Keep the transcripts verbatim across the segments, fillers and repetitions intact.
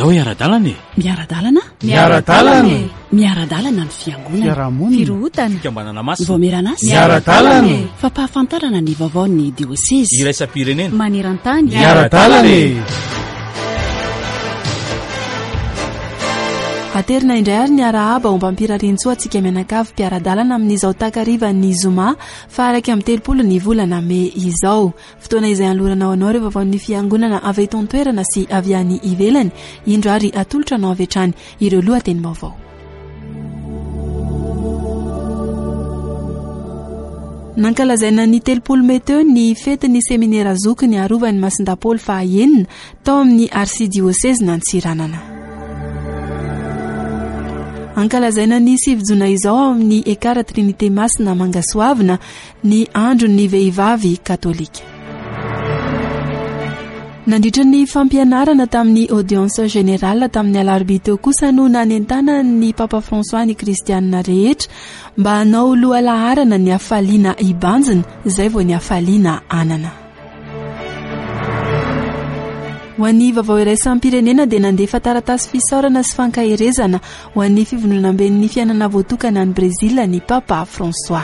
Ndao hiara-dalana e! Miara-dalana? Miara-dalana e! Miara-dalana ny fiangonana. Fiarahamonina. Firohotana. Fikambanana masina. Vaomieran'asa. Miara-dalana e! Fampahafantarana ny vaovaon'ny diosezy. Iraisam-pirenena. Maneran-tany. Miara-dalana e! Aterina indray ary ny arahaba ombam-pirariantsoa antsika mianakavy mpiara-dalana amin'izao takarivan'ny zoma faha iraika amby telopolo ny volana mey izao. Fotoana izay anolorana ho anao ireo vaovaon'ny fiangonana avy eto an-toerana sy avy any ivelany. Indro ary atolotra anao avy hatrany ireo lohatenim-baovao. Nankalazaina ny telopolo mey teo ny fetin'ny seminera zokiny arovan'ny Masindahy faha enina tao amin'ny arsidiosezin'Antsiranana. Ankalazaina ny sivy jona izao ao amin'ny Ekara Trinité Masina Mangasoavina ny andron'ny vehivavy katolika. Nandritra ny fampianarana tamin'ny audience générale tamin'ny alarobia teo kosa no nanentanan'ny Papa François ny kristianina rehetra mba hanao lohalaharana ny hafaliana hibanjina izay vao ny hafaliana anana. Ho an'ny vaovao iraisam-pirenena dia nandefa taratasy fisaorana sy fankaherezana ho an'ny fivondronamben'ny fiainana voatokana any Brezila ny Papa François.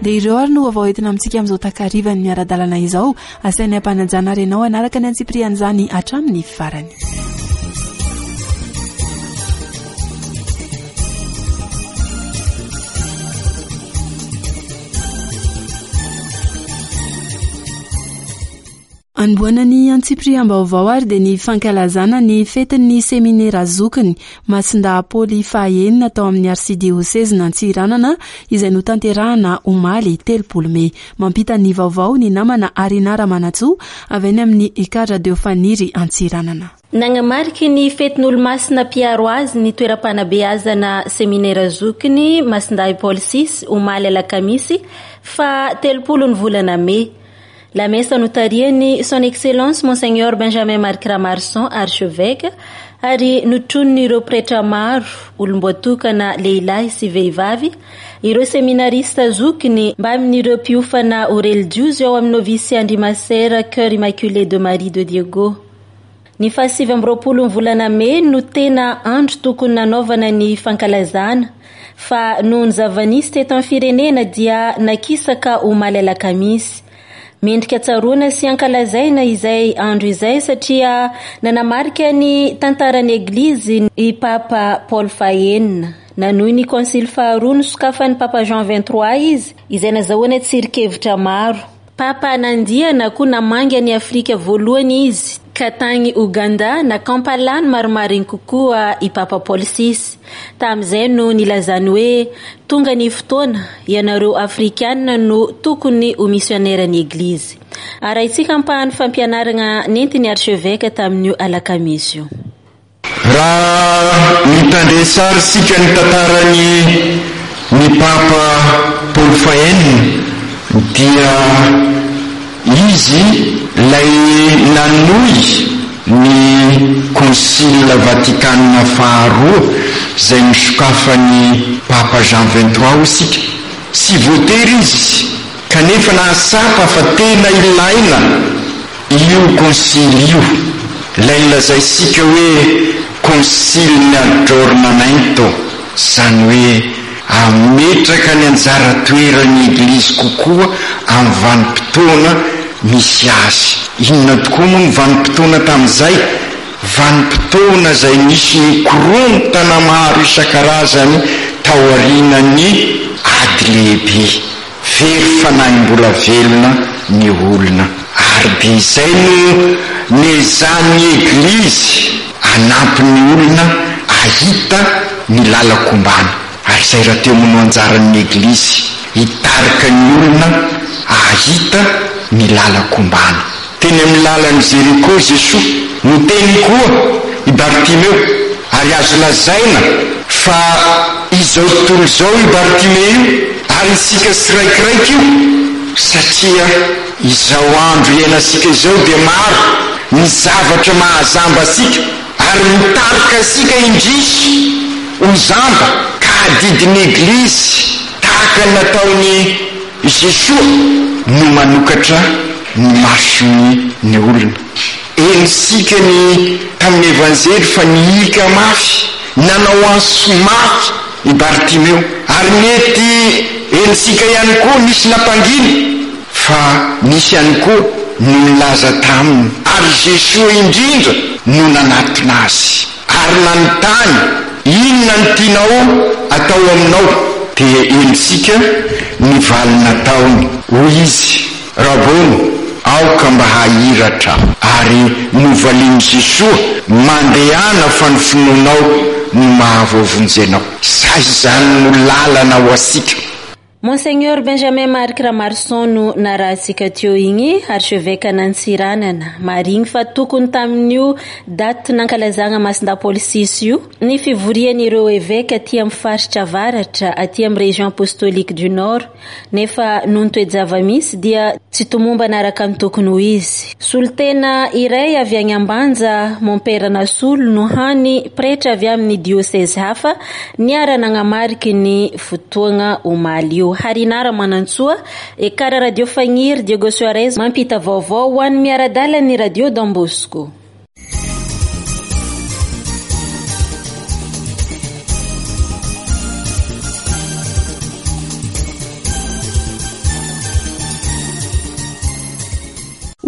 Dia ireo ary no vaovao entina amintsika amin'izao takarivan'ny miara-dalana izao. Asain'ny ampanajana ary ianao hanaraka ny antsipirian'izany hatramin'ny farany. Anombohana ny antsipiriam-baovao ary dia ny fankalazana ny fetin'ny seminera zokiny Masindahy Paoly faha enina tao amin'ny arsidiosezin'Antsiranana izay notanterahana omaly telopolo mey. Mampita ny vaovao ny namana Arina Ramanantsoa avy any amin'ny Ekar Radio Faniry Antsiranana. Nagnamarika ny fetin'olomasina mpiaro azy ny toeram-panabeazana seminera zokiny Masindahy Paoly six omaly alakamisy fa telopolo ny volana mey. La messe notarihan'ny Son Excellence Monseigneur Benjamin Marc Ramarson, archevêque, ary notronin'ireo pretra maro, olom-boatokana lehilahy sy vehivavy, ireo seminarista zokiny mbamin'ireo mpiofana ho relijiozy ao amin'ny novice Andrimasera Cœur Immaculé de Marie de Diego. Ny fahasivy amby roapolo ny volana mey no tena andro tokony nanaovana ny fankalazana, fa noho ny zava-nisy teto amin'ny firenena dia nakisaka omaly alakamisy. Mendrika tsaroana sy ankalazaina izay andro izay satria nanamarika ny tantaran'ny Eglizy i Papa Paul fahenina. Nanohy ny konsily faharoa nosokafan'ny Papa Jean vingt-trois izy, izay nazahoana tsirikevitra maro. Papa nandia na koa namangy an'i Afrika voalohany izy, ka tany Ouganda na Kampala no marimariny kokoa i Papa Paul six. Tamin'izay no nilazany hoe tonga ny fotoana, ianareo Afrikanina no tokony ho misionera ny Eglizy. Arahintsika ampahan'ny fampianarana nentin'ny archevêque tamin'io alakamisy io. Raha mitandre sary isika ny tantarany ny Papa Paul fahenina dia izy lay nanohy ny Concile Vatikana faharoa izay nosokafan'ny Papa Jean vingt-trois isika. Tsy voatery izy kanefa nahatsapa fa tena ilaina io concile io, ilay nilazaintsika hoe concile aggiornamento, izany hoe ametraka ny anjara toeran'ny Eglizy kokoa amin'ny vanim-potoana misy azy. Inona tokoa moa ny vanim-potoana tamin'izay? Vanim-potoana izay nisy ny korontana maro isan-karazany taorian'ny ady lehibe. Very fanahim-bola velona ny olona. Ary dia izay no nezan'ny Eglizy anampy ny olona ahita ny lalan-kombana. Ary izay raha teo moa no anjaran'ny Eglizy, hitarika ny olona ahita ny lalan-kombana. Teny amin'ny lalan'i Jeriko Jesoa, noteny koa i Bartimeo, ary azo lazaina fa izao tontolo izao i Bartimeo io, ary isika tsiraikiraiky io, satria izao andro iainantsika izao dia maro ny zavatra mahazamba antsika ary mitarika antsika indrisy ho zamba, ka adidin'ny Eglizy tahaka ny nataon'i Jesoa no manokatra ny masony ny olona. Henontsika ny tamin'ny Evanjely fa nihika mafy, nanao antso mafy i Bartimeo, ary mety henontsika ihany koa nisy nampangina, fa nisy ihany koa no nilaza taminy, ary Jesoa indrindra no nanatona azy ary nanontany: inona no tianao atao aminao? Dia henontsika ny valiny nataony, hoy izy: Rabony, aoka mba hahiratra. Ary novalian'i Jesoa: mandehana fa ny finoanao no mahavoavonjy anao. Sa izany no lalana ho antsika. Monseigneur Benjamin Marc Ramarson no narahantsika teo igny, archevêque an'Antsiranana. Marigny fa tokony tamin'io daty nankalazagna Masindahy Paoly six io ny fivorian'ireo évêque aty amin'ny faritra avaratra, aty amin'ny région apostolique du Nord, nefa noho ny toe-java-misy dia tsy tomombana araka ny tokony ho izy. Solontena iray avy any Ambanja, Mompera Nasolo, no hany pretra avy amin'ny diocèse hafa niara-nagnamariky ny fotoagna omaly io. Harinara Manantsoa, Ekara Radio Fagniry, Diego Suarez mampita vaovao ho an'ny miara-dalana ny Radio Don Bosco.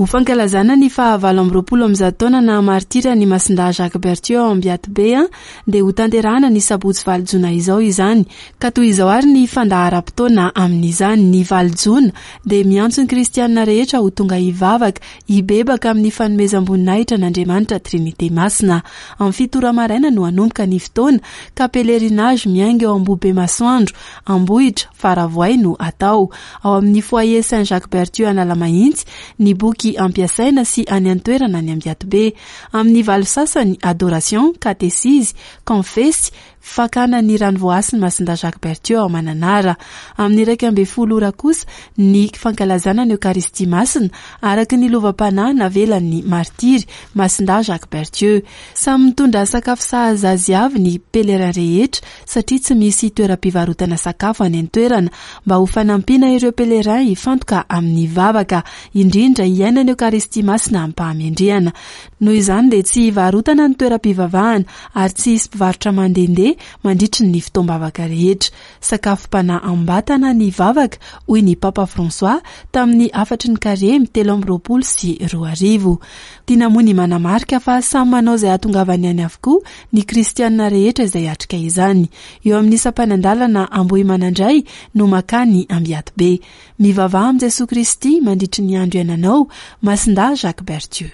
Ho fankalazana ny fahavalo amby roapolo amby zato taona na martira ny Masindahy Jacques Berthieu ao Ambiatibe dia ho tanterahana ny sabotsy valo jona izao izany. Ka toy izao ary ny fandaharam-potoana amin'izany. Ny valo jona dia miantso ny kristianina rehetra ho tonga hivavaka, hibebaka amin'ny fanomezam-boninahitra an'Andriamanitra Trinité Masina. Amin'ny fito ora maraina no hanomboka ny fotoana, ka pèlerinage miainga eo Ambohibe Masoandro, Ambohitra, Faravoay no atao. Ao amin'ny foyer Saint Jacques Berthieu Analamahitsy ny boky ampiasaina sy any an-toerana any Ambiatibe. Amin'ny valo sasany, adoration, katesizy, konfesy, fakana ny rano voahasin'ny Masindahy Jacques Berthieu ao Mananara. Amin'ny iraika ambin'ny folo ora kosa ny fankalazana ny Eokaristia Masina araka ny lovam-panahy navelan'ny martiry Masindahy Jacques Berthieu. Samy mitondra sakafo sahaza azy avy ny pèlerin rehetra satria tsy misy toeram-pivarotana sakafo any an-toerana, mba ho fanampiana ireo pèlerin hifantoka amin'ny vavaka, indrindra hiaina ny Eokaristia Masina am-pahamendrehana. Noho izany dia tsy hivarotana ny toeram-pivavahana ary tsy hisy mpivarotra mandehandeha mandritry ny fotoam-bavaka rehetra. Sakafom-panahy am-batana ny vavaka, hoy ny Papa François tamin'ny hafatry ny karemy telo amby roapolo sy roa arivo. Tiana moa ny manamarika fa samy manao izay hahatongavany any avokoa ny kristianina rehetra izay hiatrika izany. Eo amin'ny sampanan-dalana Ambohimanandray no makany Ambiatibe. Mivavaha amin'i Jesoa Kristy mandritry ny andro iainanao, Masindahy Jacques Berthieu.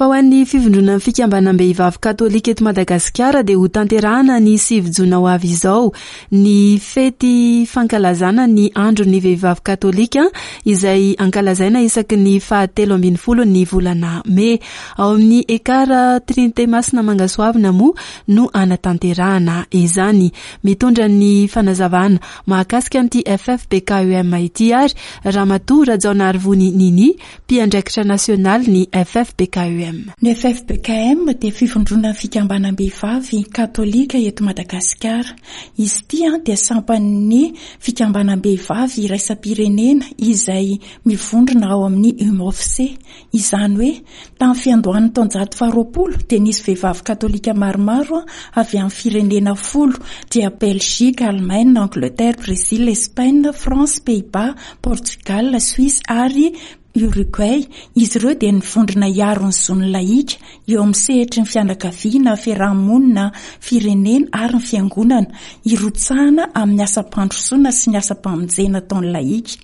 Fa ho an'ny fivondronan'ny fikambanam-behivavy katolika eto Madagasikara dia ho tanterahana ny sivy jona ho avy izao ny fety fankalazana ny andron'ny vehivavy katolika izay ankalazaina isaky ny fahatelo ambin'ny folo ny volana mey. Ao amin'ny Ekara Trinité Masina Mangasoavina moa no anatanterahana izany. Mitondra ny fanazavana mahakasika an'ity F F B K U M ity ary Ramatoa Rajaonarivony Nini, mpiandraikitra nasionaly ny F F B K U M. Ny F F B K M dia fivondronan'ny fikambanam-behivavy katolika eto Madagasikara. Izy ity dia sampan'ny fikambanam-behivavy iraisam-pirenena izay mivondrona ao amin'ny U M O F C. Izany hoe tamin'ny fiandohan'ny taonjato faharoapolo dia nisy vehivavy katolika maromaro avy amin'ny firenena folo, dia Belgique, Allemagne, Angleterre, Brésil, Espagne, France, Pays-Bas, Portugal, Suisse ary Uruguay. Izy ireo dia nivondrona hiaro ny zon'ny lahika eo amin'ny sehatry ny fianakaviana, fiarahamonina, firenena ary ny fiangonana, hirotsahana amin'ny asam-pandrosoana sy ny asam-pamonjena ataon'ny lahika.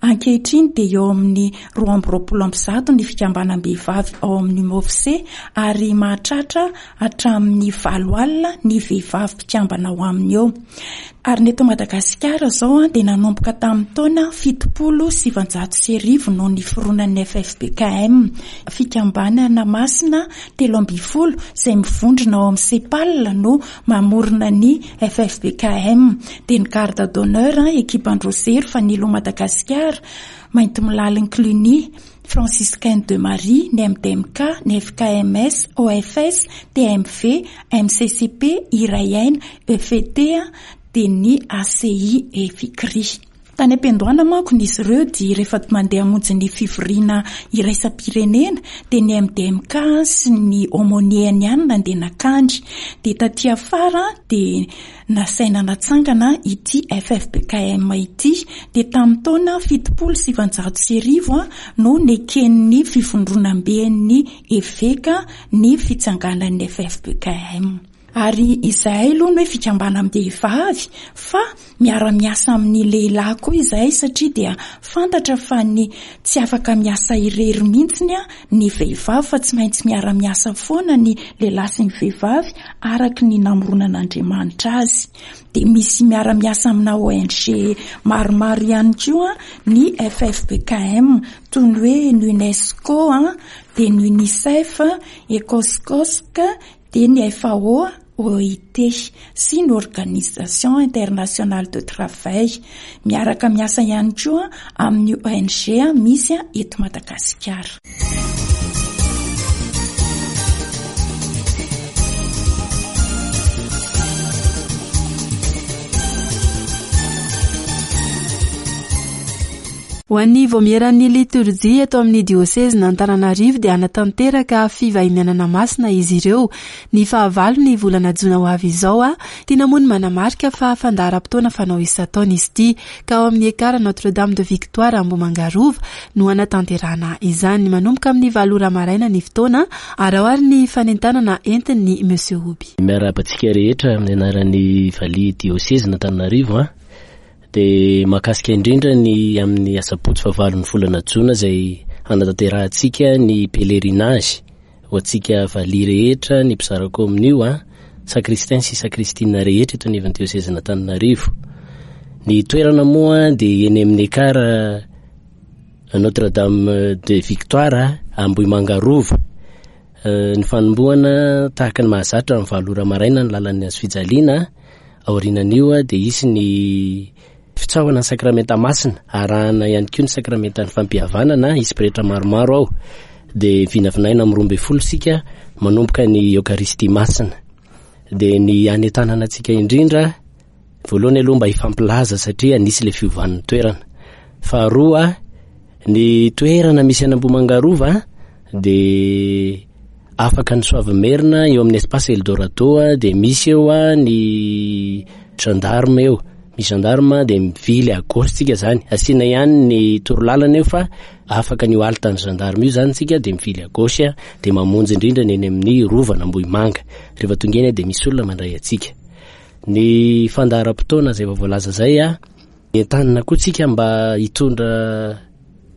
Ankehitriny dia eo amin'ny roa amby roapolo amby zato ny fikambanam-behivavy ao amin'ny U M O F C ary mahatratra hatramin'ny valo alina ny vehivavy mpikambana ao aminy eo. Ary ny eto Madagasikara izao dia nanomboka tamin'ny taona fitopolo sy sivinjato sy arivo no niforonan'ny F F B K M, fikambanana masina telo ambin'ny folo izay mivondrona ao amin'ny SEPAL no mamorona ny F F B K M. Dia ny garde d'honneur, ekipan-dRosery, Fanilo Madagasikara, Madagasikara, Maintimolalin'i Cluny, Franciscaine de Marie, ny M D M K, ny F K M S, O F S, T M V, M C C P, Iray Aina, E F T, dia ny A C I E F I C R I. Tany am-piandohana manko izy ireo dia rehefa mandeha hamonjy ny fivoriana iraisam-pirenena dia ny M D M K sy ny aumônier-ny ihany nandeha nankany. Dia taty afara dia nasaina natsangana ity F F B K M ity. Dia tamin'ny taona fitopolo sy sivinjato sy arivo no neken'ny fivondronamben'ny eveka ny fitsanganan'ny F F B K M. Ary izahay aloha ny hoe fikambanam-behivavy fa miara-miasa amin'ny lehilahy koa izahay satria dia fantatra fa ny tsy afaka miasa irery mihitsiny ny vehivavy fa tsy maintsy miara-miasa foana ny lehilahy sy ny vehivavy araka ny namoronan'Andriamanitra azy. Dia misy miara-miasa amina O N G maromaro ihany koa ny F F B K M toy ny hoe ny UNESCO, dia ny UNICEF, Ecoscosc, dia ny F A O, O I T sy ny Organisation Internationale de Travail. Miaraka miasa ihany koa amin'ny O N G misy eto Madagasikara. Ho an'ny vaomieran'ny litorjia eto amin'ny diosezin'Antananarivo dia hanatanteraka fivahinianana masina izy ireo. Ny fahavalo ny volana jona ho avy izao, a, tiana moa ny manamarika fa fandaharam-potoana fanao isan-taona izy ity, ka ao amin'ny Ekara Notre-Dame de Victoire Ambohimangarova no hanatanterahana izany. Manomboka amin'ny valo ora maraina ny fotoana, ary ao ary ny fanentanana entin'ny Monsieur Oby. Miarahaba antsika rehetra amin'ny anaran'ny valiha diosezin'Antananarivo, a. Dia mahakasika indrindra ny amin'ny asabotsy fahavalo ny volana jona izay hanatanterahantsika ny pèlerinage ho antsika valiha rehetra, ny mpizara kominio, a, sacristain sy sacristine rehetra eto anivon'ny diosezin'Antananarivo. Ny toerana moa dia eny amin'ny Ekara Notre-Dame de Victoire Ambohimangarova. Ny fanombohana tahaka ny mahazatra amin'ny valo ora maraina ny lalan'ny hazo fijaliana. Aorianan'io dia hisy ny fitsaohana ny sakramenta masina, arahana ihany koa ny sakramentan'ny fampihavanana, hisy pretra maromaro ao. Dia vinavinaina amin'ny roa ambin'ny folo isika manomboka ny Eokaristia masina. Dia ny hanentanana antsika indrindra, voalohany aloha mba hifampilaza satria nisy ilay fiovan'ny toerana. Faharoa, ny toerana misy any Ambohimangarova dia afaka ny Soavimerina eo amin'ny espace Eldorado, dia misy eo ny gendarme eo. Misy gendarme dia mivily à gauche tsika zany. Asiana ihany ny torolalana eo fa afaka ny halte ny gendarme io zany tsika dia mivily à gauche, dia mamonjy indrindra ny eny amin'ny rovan'Ambohimanga. Rehefa tonga eny dia misy olona mandray antsika. Ny fandaharam-potoana izay vao voalaza izay, a, entanina koa tsika mba hitondra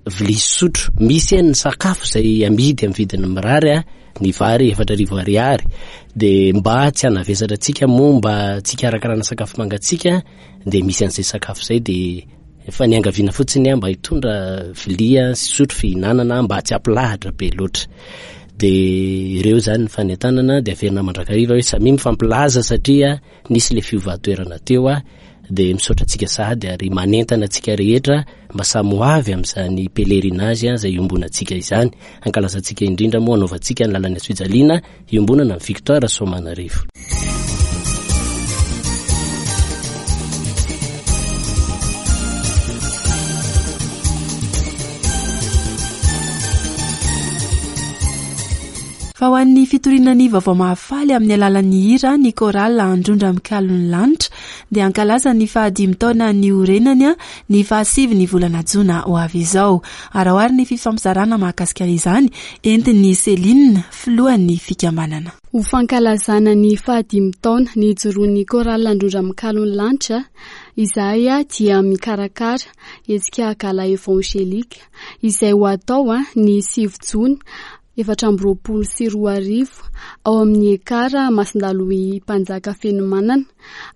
vilia sy sotro. Misy eny ny sakafo izay amidy amin'ny vidiny mirary, a, ny vary efatra arivo ariary. Dia mba tsy hanavesatra antsika moa, mba tsy hikarakarana sakafo mangatsiaka, dia misy an'izay sakafo izay. Dia efa niangaviana fotsiny, a, mba hitondra vilia sy sotro fihinanana mba tsy hampilahatra be loatra. Dia ireo zany ny fanentanana, dia averina mandrakariva hoe samia mifampilaza satria nisy ilay fiovan-toerana teo, a. Dia misaotra antsika sahady ary manentana antsika rehetra mba samy ho avy amin'izany pèlerinage izay iombonantsika izany. Ankalazantsika indrindra moa anaovantsika ny lalan'ny hazo fijaliana iombonana amin'ny Victoire Soamanarivo. Fa ho an'ny fitoriana ny vaovao mahafaly amin'ny alalan'ny hira ny chorale Androndra Mikalon'ny Lanitra dia ankalaza ny fahadimy taona niorenany ny fahasivy ny volana jona ho avy izao. Ary ao ary ny fifampizarana mahakasika izany entin'ny Céline, filohan'ny fikambanana. Ho fankalazana ny fahadimy taona nijoroan'ny chorale Androndra Mikalon'ny Lanitra, izahay dia mikarakara hetsika gala évangélique izay ho atao ny sivy jona efatra amby roapolo sy roa arivo ao amin'ny Ekara Masindalohy Mpanjaka Fenomanana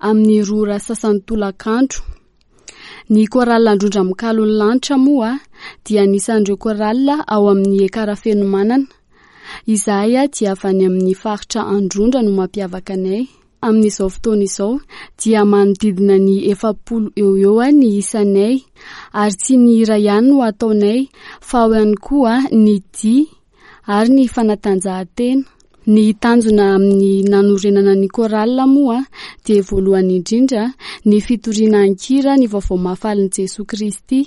amin'ny roa ora sasany tolakandro. Ny chorale Androndra Mikalon'ny Lanitra moa dia anisan'ireo chorale ao amin'ny Ekara Fenomanana. Izahay dia avy any amin'ny faritra Androndra no mampiavaka anay. Amin'izao fotoana izao dia manodidina ny efapolo eo eo ny isanay, ary tsy ny hira ihany no ataonay fa ao ihany koa ny dihy ary ny fanatanjahantena. Ny tanjona amin'ny nanorenana ny chorale moa dia voalohany indrindra ny fitoriana an-kira ny vaovao mahafalin'i Jesoa Kristy.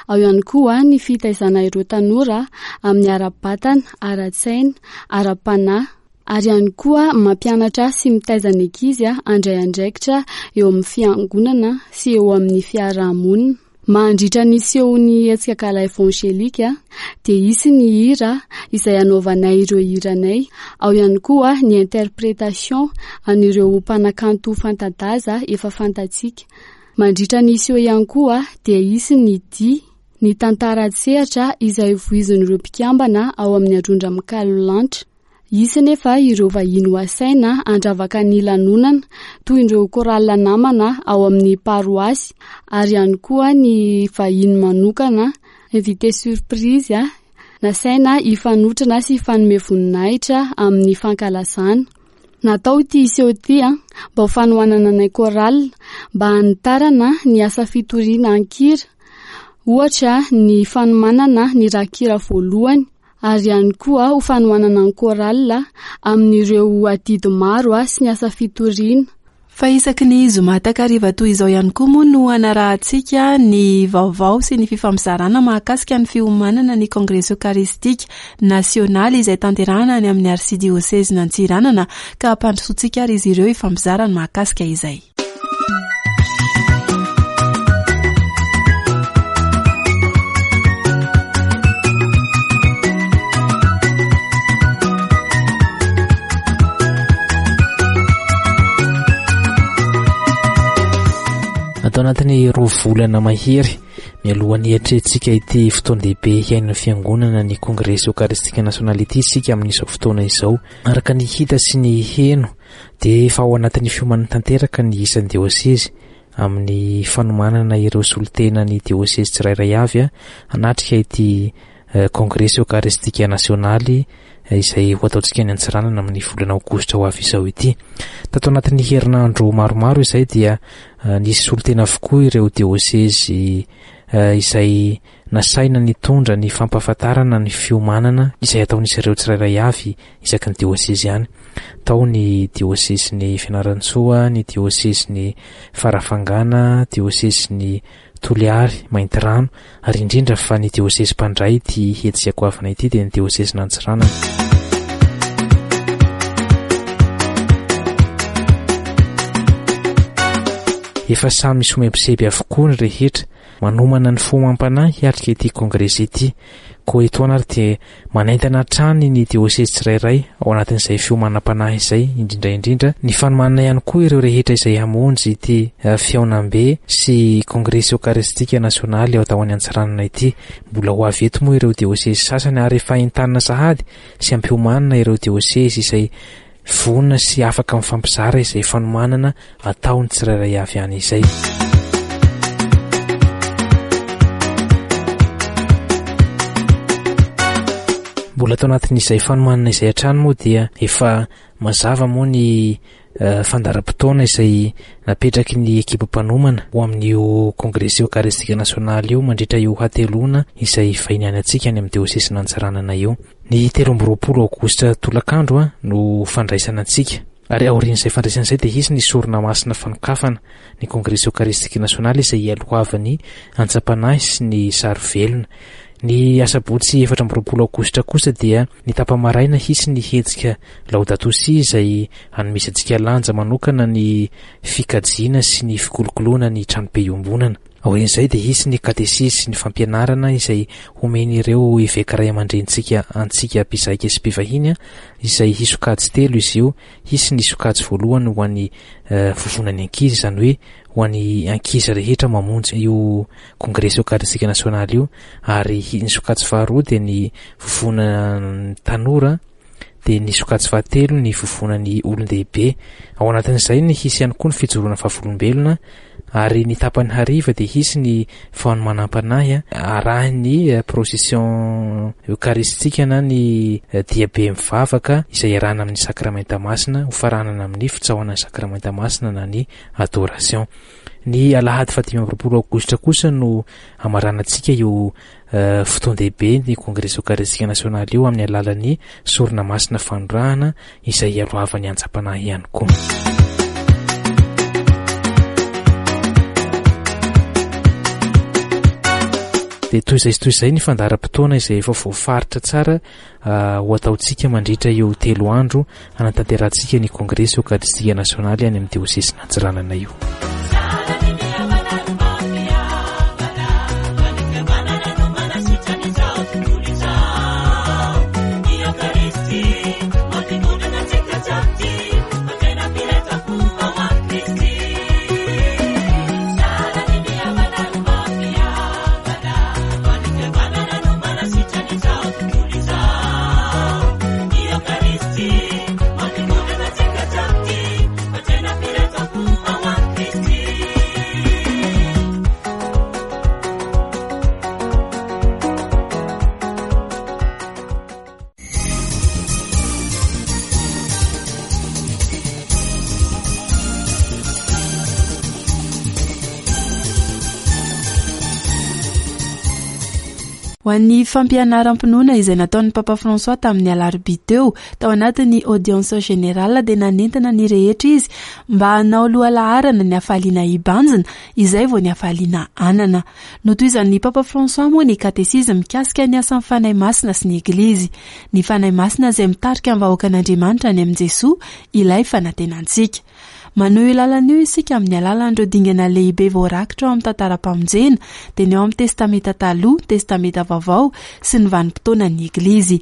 Ao ihany koa ny fitaizana ireo tanora amin'ny ara-batana, ara-tsaina, ara-panahy, ary ihany koa mampianatra sy mitaiza ny ankizy handray andraikitra eo amin'ny fiangonana sy eo amin'ny fiarahamonina. Mandritra ny sehon'ny hetsika gala evangelika dia hisy ny hira izay hanaovanay ireo hiranay. Ao ihany koa ny interprétation an'ireo mpanakanto fanta-daza efa fantatsika. Mandritra ny seho ihany koa dia hisy ny dihy, ny tantara an-tsehatra izay voizin'ireo mpikambana ao amin'ny Androndra Mikalo Lanitra. Hisy nefa ireo vahiny ho asaina handravaka ny lanonana toy ireo chorale namana ao amin'ny paroasy, ary ihany koa ny vahiny manokana invité surprise nasaina hifanotrona sy hifanome voninahitra amin'ny fankalazana. Natao ity seho ity mba ho fanohanana anay chorale mba hanitarana ny asa fitoriana an-kira, ohatra ny fanomanana ny rakikira voalohany, ary ihany koa ho fanohanana ny chorale amin'ireo adidy maro sy ny asa fitoriana. Fa isaky ny zoma takariva toy izao ihany koa moa no hanarahantsika ny vaovao sy ny fifampizarana mahakasika ny fiomanana ny Kongresy Eokaristika nasionaly izay tanterahana any amin'ny arsidiôsezy Antsiranana, ka hampandrosoantsika ary izy ireo hifampizarana mahakasika izay. Atao anatin'ny roa volana mahery mialohan'ny hiatrehantsika ity fotoan-dehibe hiainan'ny fiangonana ny Kongresy Eokaristika Nasionaly ity isika amin'izao fotoana izao. Araka ny hita sy ny heno dia efa ao anatin'ny fiomanana tanteraka ny isan'ny diosezy amin'ny fanomanana ireo solontena ny diosezy tsirairay avy hanatrika ity Kongresy Eokaristika Nasionaly izay ho ataontsika any Antsiranana amin'ny volana aogositra ho avy izao ity. Tato anatin'ny herinandro maromaro izay dia nisy solontena avokoa ireo diosezy izay nasaina nitondra ny fampahafantarana ny fiomanana izay ataon'izy ireo tsirairay avy isaky ny diosezy ihany. Tao ny diosezin'ny Fianarantsoa, ny diosezin'ny Farafangana, diosezin'ny Toliary, Maintirano, ary indrindra fa ny diosezy mpandray ity hetsika goavana ity dia ny diosezin'Antsiranana. Efa samy somebiseby avokoa ny rehetra manomana ny fo amam-panahy hiatrika ity kongresy ity. Koa etoana ary dia manaintana hatrany ny diosezy tsirairay ao anatin'izay fiomanam-panahy izay, indrindra indrindra ny fanomanana ihany koa ireo rehetra izay hamonjy ity fihaonambe sy kongresy eokaristika nasionaly ao atao any Antsiranana ity. Mbola ho avy eto moa ireo diosezy sasany ary efa entanina sahady sy ampiomanina ireo diosezy izay vonona sy afaka mifampizara izay fanomanana ataony tsirairay avy any izay. Mbola atao anatin'izay fanomanana izay hatrany moa dia efa mazava moa ny fandaharam-potoana izay napetraky ny ekipa mpanomana ho amin'io Kongresy Eokaristika Nasionaly io mandritra io hateloana izay vahiny any antsika any amin'ny diosezin'Antsiranana io. Ny telo amby roapolo aogositra tolakandro no fandraisana antsika, ary aorian'izay fandraisana izay dia hisy ny sorona masina fanokafana ny Kongresy Eokaristika Nasionaly izay hialohavan'ny antsam-panahy sy ny sary velona. Ny asabotsy efatra amby roapolo aogositra kosa dia ny tapa-maraina hisy ny hetsika Laudato Si izay hanomezantsika lanja manokana ny fikajiana sy ny fikolokoloana ny tranobe iombonana. Aorian'izay dia hisy ny katesizy sy ny fampianarana izay homen'ireo eveka ray aman-drenintsika antsika mpizaika sy mpivahiny izay hisokajy telo izy io. Hisy ny sokajy voalohany ho an'ny vovonan'ny ankizy, izany hoe ho an'ny ankizy rehetra mamonjy io Kongresy Eokaristika Nasionaly io, ary ny sokajy faharoa dia ny vovonan'ny tanora, dia ny sokajy fahatelo ny vovonan'ny olon-dehibe. Ao anatin'izay ny hisy ihany koa ny fijoroana vavolombelona Ary ny tapany hariva dia hisy ny fanomanam-panahy arahin'ny procession eucharistique na ny diabe mivavaka izay iarahana amin'ny sakramenta masina, hofaranana amin'ny fitsaohana ny sakramenta masina na ny adoration. Ny alahady fahadimy amby roapolo aogositra kosa no hamaranantsika io fotoan-dehibe ny Kongresy Eokaristika Nasionaly io amin'ny alalan'ny sorona masina fanorahana izay hialohavan'ny antsam-panahy ihany koa. Dia toy izay sy toy izay ny fandaharam-potoana izay efa voafaritra tsara ho ataontsika mandritra io telo andro hanatanterahantsika ny Kongresy Eokaristika Nasionaly any amin'ny Diosesin'Antsiranana io. Ho an'ny fampianaram-pinoana izay nataon'ny Papa François tamin'ny alarobia teo, tao anatin'ny audience générale dia nanentana ny rehetra izy mba hanao lohalaharana ny hafaliana hibanjina izay vao ny hafaliana anana. Notohizan'ny Papa François moa ny katesizy mikasika ny asan'ny Fanahy Masina sy ny Eglizy. Ny Fanahy Masina izay mitarika ny vahoakan'Andriamanitra any amin'i Jesoa, ilay fanantenantsika. Manohy io lalana io isika amin'ny alalan'ireo dingana lehibe voarakitra ao amin'ny tantaram-pamonjena, dia ny ao amin'ny Testamenta Taloha, Testamenta Vaovao sy ny vanim-potoanan'ny Eglizy.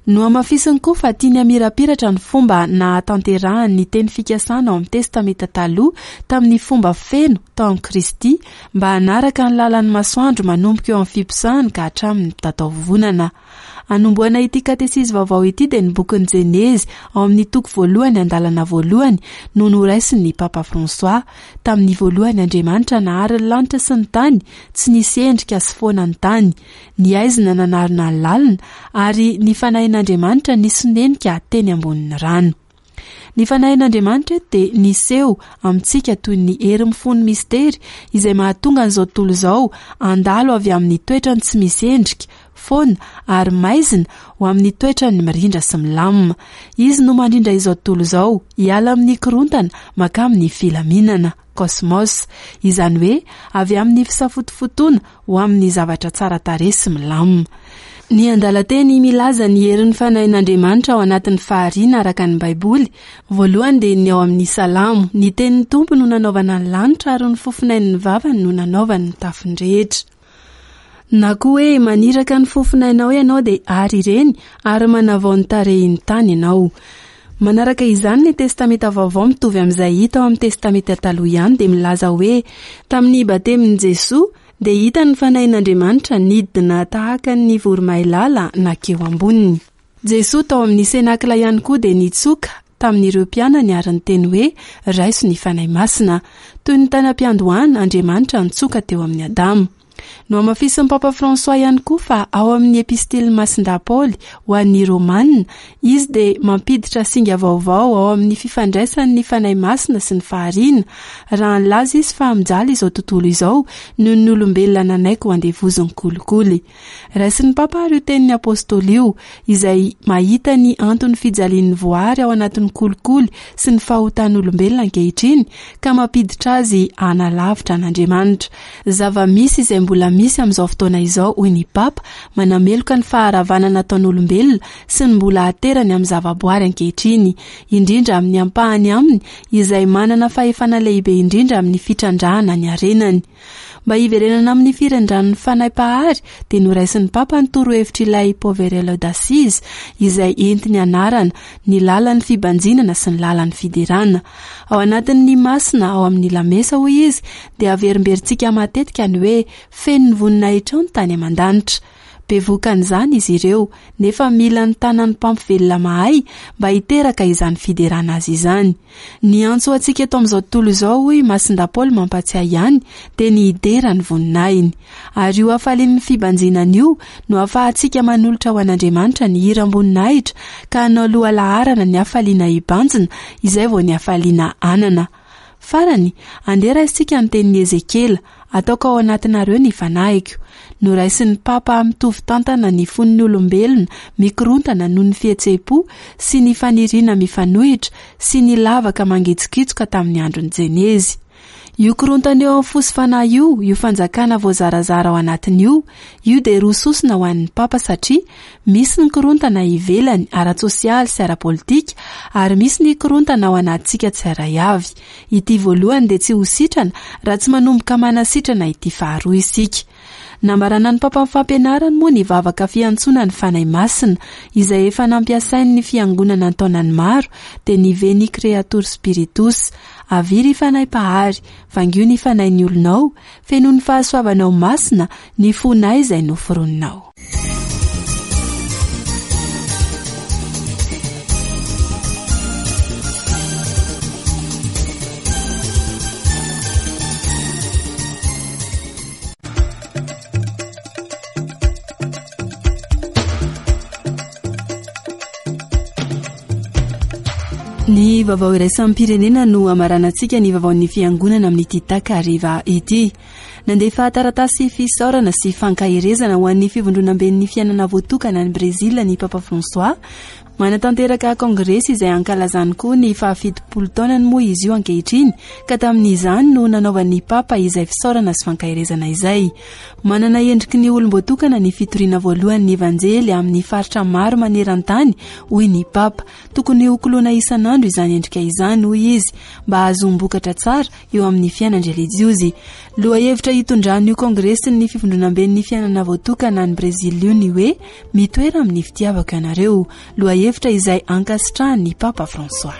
Nohamafisiny koa fa tiany hamirapiratra ny fomba nahatanterahany ny teny fikasana ao amin'ny Testamenta Taloha tamin'ny fomba feno tao amin'i Kristy mba hanaraka ny lalan'ny masoandro manomboka eo amin'ny fiposahany ka hatramin'ny mitataovovonana. Anombohana ity katesizy vaovao ity dia ny bokin'ny Jenezy ao amin'ny toko voalohany andalana voalohany no noraisin'ny Papa François. Tamin'ny voalohany Andriamanitra nahary ny lanitra sy ny tany, tsy nisy endrika sy foana ny tany. Ny haizina nanarona ny lalina ary ny fanahin'Andriamanitra nisonenika teny ambonin'ny rano. Ny fanahin'Andriamanitra eto dia niseho amintsika toy ny hery mifono mistery izay mahatonga an'izao tontolo izao handalo avy amin'ny toetrany tsy misy endrika, foana ary maizina ho amin'ny toetrany mirindra sy milamina. Izy no mandrindra izao tontolo izao hiala amin'ny korontana mankamin'ny filaminana, kosmos, izany hoe avy amin'ny fisafotofotoana ho amin'ny zavatra tsara tarehy sy milamina. Ny andalan-teny milaza ny herin'ny fanahin'Andriamanitra ao anatin'ny fahariana araka ny Baiboly, voalohany dia ny ao amin'ny Salamo. Ny tenin'ny Tompo no nanaovana ny lanitra ary ny fofonain'ny vavany no nanaovany ny tafony rehetra. Na koa hoe maniraka ny fofonainao ianao dia ary ireny ary manavao ny tarehin'ny tany ianao. Manaraka izany ny Testamenta Vaovao mitovy amin'izay hita ao amin'ny Testamenta Taloha ihany dia milaza hoe tamin'ny batemin'i Jesoa dia hita ny fanahin'Andriamanitra nidina tahaka ny voromailala nakeo amboniny. Jesoa tao amin'ny senakla ihany koa dia nitsoka tamin'ireo mpianany ary niteny hoe raiso ny Fanahy Masina. Toy ny tany am-piandohana, Andriamanitra nitsoka teo amin'ny Adama. Nohamafisin'ny Papa François ihany koa fa ao amin'ny epistilin'i Masindahy Paoly ho an'ny Romana, izy dia mampiditra singa vaovao ao amin'ny fifandraisan'ny Fanahy Masina sy ny fahariana, raha nilaza izy fa mijaly izao tontolo izao noho ny olombelona nanaiky ho andevozin'ny kolikoly. Raisin'ny Papa ary io tenin'ny Apôstôly io, izay mahita ny anton'ny fijalian'ny voary ao anatin'ny kolikoly sy ny fahotan'olombelona ankehitriny ka mampiditra azy hanalavitra an'Andriamanitra. Zava-misy izay mbola misy amin'izao fotoana izao, hoy ny Papa, manameloka ny faharavana nataon'olombelona sy ny mbola aterany amin'ny zavaboary ankehitriny, indrindra amin'ny ampahany aminy izay manana fahefana lehibe indrindra amin'ny fitrandrahana ny harenany. Mba hiverenana amin'ny firindran'ny fanahy mpahary dia noraisin'ny Papa ny torohevitr'ilay Poverello d'Assise izay entiny anarana ny lalan'ny fibanjinana sy ny lalan'ny fiderana. Ao anatin'ny masina ao amin'ny lamesa, hoy izy, dia averimberintsika matetika ny hoe feno ny voninahitrao ny tany aman-danitra. Bevokan'izany izy ireo, nefa mila ny tanan'ny mpampivelona mahay mba hiteraka izany fiderana azy izany. Ny antso ho antsika eto amin'izao tontolo izao, hoy Masindahy Paoly mampatsiahy ihany, dia ny hidera ny voninahiny. Ary io hafalian'ny fibanjinana io no ahafahantsika manolotra ho an'Andriamanitra ny hiram-boninahitra ka hanao lohalaharana ny hafaliana hibanjina izay vao ny hafaliana anana. Farany, andeha raisintsika ny tenin'i Ezekiela, ataoko ao anatinareo ny fanahiko. Noraisin'ny Papa mitovy tantana ny fon'ny olombelona mikorontana noho ny fihetseham-po sy ny faniriana mifanohitra sy ny lavaka mangitsokitsoka tamin'ny andron'ny Jenezy. Io korontana eo amin'ny fo sy fanahy io, io fanjakana voazarazara ao anatiny io, io dia roa sosona ho an'ny Papa satria misy ny korontana ivelany ara-tsosialy sy ara-politika ary misy ny korontana ao anatintsika tsirairay avy. Ity voalohany dia tsy ho sitrana raha tsy manomboka manasitrana ity faharoa isika. Nambarana ny Papa amin'ny fampianarany moa ny vavaka fiantsoana ny Fanahy Masina, izay efa nampiasain'ny fiangonana an-taonany maro, dia ny Veni Creator Spiritus. Avia ry Fanahy Mpahary, vangio ny fanahin'ny olonao, fenoy ny fahasoavanao masina ny fonay izay noforoninao. Ny vaovao iraisam-pirenena no hamaranantsika ny vaovaon'ny fiangonana amin'ity takariva ity. Nandefa taratasy fisaorana sy fankaherezana ho an'ny fivondronamben'ny fiainana voatokana any Brezila ny Papa François. Manatanteraka kongresy izay ankalazany koa ny fahafitopolo taonany moa izy io ankehitriny, ka tamin'izany no nanaovan'ny Papa izay fisaorana sy fankaherezana izay. Manana endriky ny olom-boatokana ny fitoriana voalohany ny Evanjely amin'ny faritra maro maneran-tany, hoy ny Papa. Tokony hokoloina isan'andro izany endrika izany, hoy izy, mba hahazoam-bokatra tsara eo amin'ny fiainan-drelijiozy. Lohahevitra hitondran'io kongresin'ny fivondronamben'ny fiainana voatokana any Brezila io ny hoe mitoera amin'ny fitiavako ianareo, lohahevitra izay ankasitrahan'ny Papa François.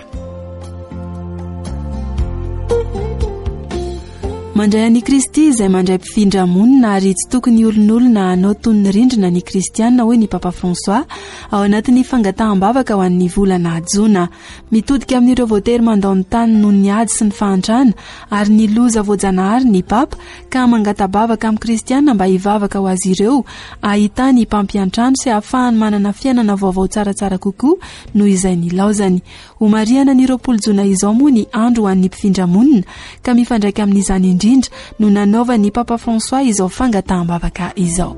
Mandray an'i Kristy izay mandray mpifindra monina ary tsy tokony olon'olona hanao toy ny rindrina ny kristiana, hoy ny Papa François ao anatin'ny fangataham-bavaka ho an'ny volana jona. Mitodika amin'ireo voatery mandao ny tany noho ny ady sy ny fahantrana ary ny loza voajanahary ny Papa, ka mangata-bavaka amin'ny kristiana mba hivavaka ho azy ireo ahitany mpampiantrano sy ahafahany manana fiainana vaovao tsaratsara kokoa noho izay nilaozany. Homarihana ny roapolo jona izao moa ny andro ho an'ny mpifindra monina, ka mifandraika amin'izany indrindra no nanaovan'ny Papa François izao fangataham-bavaka izao.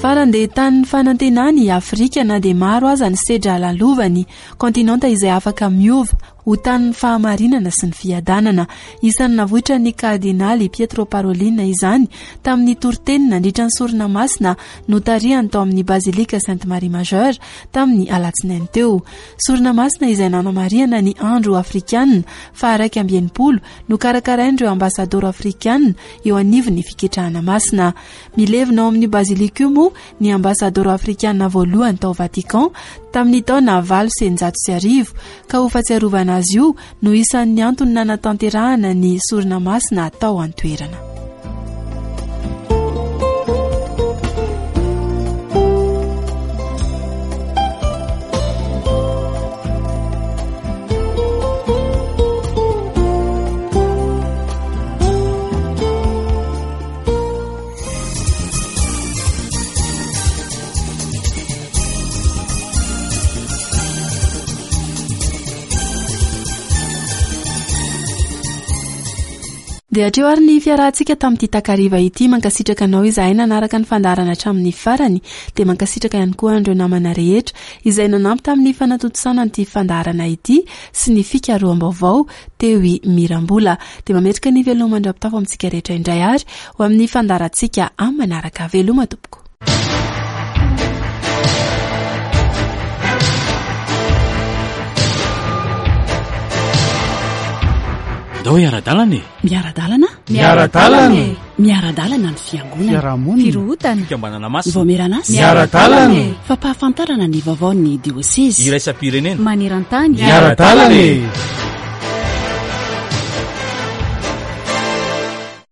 Farany dia tanin'ny fanantenany i Afrika na dia maro aza ny sedra lalovany, kontinanta izay afaka miova ho tanin'ny fahamarinana sy ny fiadanana. Isan'ny navoitra ny kardinaly Pietro Parolin izany tamin'ny toriteny nandritra ny sorona masina notarihany tao amin'ny Bazilika Sainte Marie Majeure tamin'ny alatsinainy teo. Sorona masina izay nanamarihana ny andro afrikana faha-iraika amby enimpolo nokarakarain'ireo ambasadoro afrikana eo anivon'ny fiketrahana masina. Milevina ao amin'ny Bazilika io moa ny ambasadoro afrikana voalohany tao Vatican tamin'ny taona valo sy eninjato sy arivo, ka ho fahatsiarovana azy io no isan'ny antony nanatanterahana ny sorona masina tao an-toerana. Dia hatreo ary ny fiarahantsika tamin'ity takariva ity. Mankasitraka anao izahay nanaraka ny fandaharana hatramin'ny farany. Dia mankasitraka ihany koa an'ireo namana rehetra izay nanampy tamin'ny fanatontosana an'ity fandaharana ity sy ny fikaroham-baovao teo i Mirambola. Dia mametraka ny veloma mandra-pitafo amintsika rehetra indray ary ho amin'ny fandaharantsika amin'ny manaraka. Veloma tompoko. Ndao hiara-dalana e. Miara-dalana? Miara-dalana e. Miara-dalana ny fiangonana. Fiarahamonina. Firohotana. Fikambanana masina. Vaomieran'asa. Miara-dalana e. Fampahafantarana ny vaovaon'ny diosezy. Iraisam-pirenena. Maneran-tany. Miara-dalana e.